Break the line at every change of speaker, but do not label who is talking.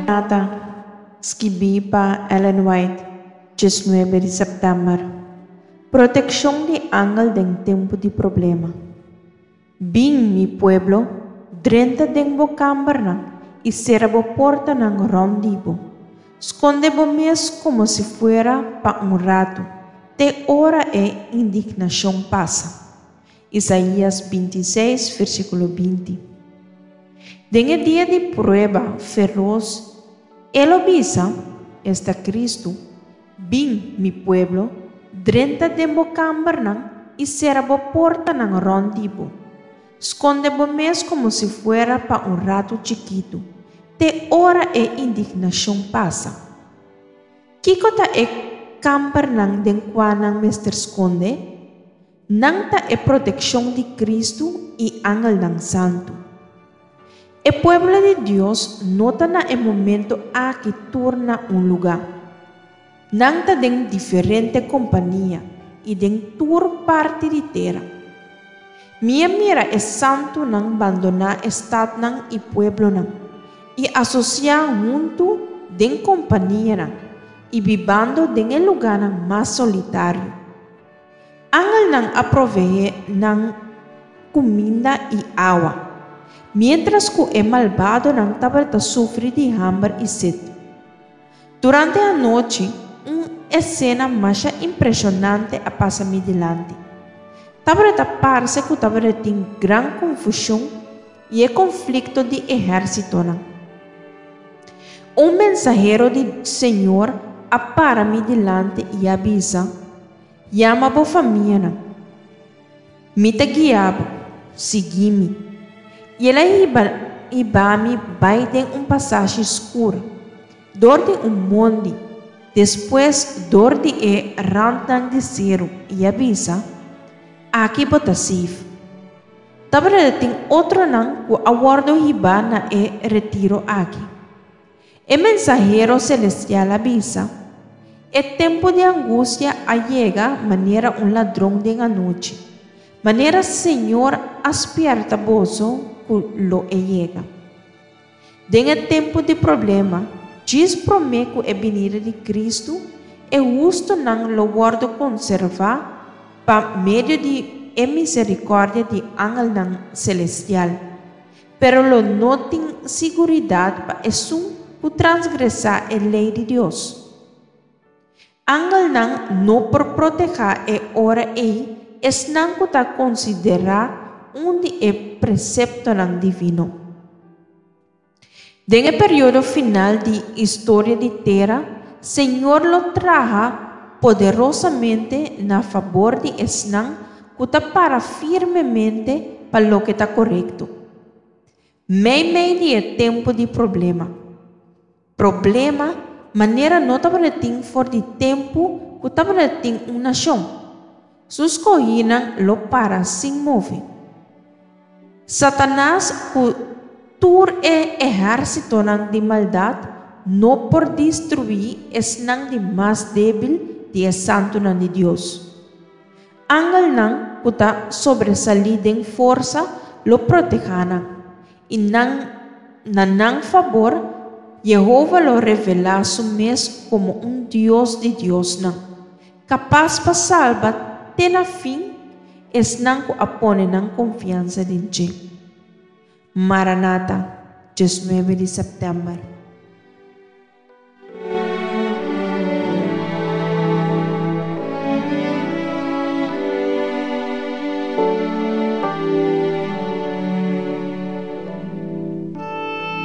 Nata, skibí pa Ellen White, 19 di sèptèmber. Protekshon di angel den tempu di problema. Bin, mi pueblo, drenta den bo kambernan i sera bo portanan rònt di bo. Skonde bo mes komo si fuera pa un ratu, te ora e indignashon pasa. Isaías 26, versíkulo 20. Den e dia di prueba feros, E lo bisa, esta Kristu, Bin, mi pueblo, drenta den bo kambernan i sera bo portanan rònt di bo. Skonde bo mes komo si fuera pa un ratu chikitu, te ora e indignashon pasa. Kiko ta e kambernan den kua nan mester skonde? Nan ta e protekshon di Kristu i angelnan santu. E pueblo di Dios no ta na e momento aki tur na un lugá. Nan ta den diferente kompania i den tur parti di tera. Mi a mira e santunan bandoná e statnan i pueblonan, i asosiá huntu den kompanianan i bibando den e lugánan mas solitario. Angelnan a proveé nan kuminda i awa, miéntras ku e malbadonan tabata sufri di hamber i set. Durante anochi, un esena masha impreshonante a pasa mi dilanti. Tabata parse ku tabata tin gran konfushon i e konflikto di ehérsitonan. Un mensahero di Señor a para mi dilanti i a bisa, Yama bo famianan. Mi ta guia bo. Sigui mi. I el a hiba hiba mi bai den un pasashi skur, dor di un mondi, despues dor di e randnan di seru, i a bisa, Aki bo ta safe. Tabata tin otronan ku a wòrdu hibá na e retiro aki. E mensahero selestial a bisa, E tempu di angustia a yega manera un ladron den anochi, manera Señor a spièrta boso ku lo e yega. Den e tempu di problema, djis promé ku e binida di Kristu, e hustunan lo wòrdu konservá pa medio di e miserikòrdia di angelnan selestial. Pero lo no tin siguridat pa esun ku transgresá e lei di Dios. Angelnan no por protehá e ora ei esnan ku ta konsiderá un di e preseptonan divino. Den e periodo final di historia di tera, Señor lo traha poderosamente na fabor di esnan ku ta para firmemente pa loke ta korekto. Meimei di e tempu di problema. Problema manera no tabata tin for di tempu ku tabata tin un nashon. Su skohínan lo para sin move. Satanas ku tur e ehérsitonan di maldat no por destruí esnan di mas débil di e santunan di Dios. Angelnan ku ta sobresalí den forsa lo protehá nan, i nan na nan fabor Yehova lo revelá su mes komo un Dios di diosnan, kapas pa salba te na fin esnan ku a pone nan konfiansa den dje. Maranata, 19 di sèptèmber.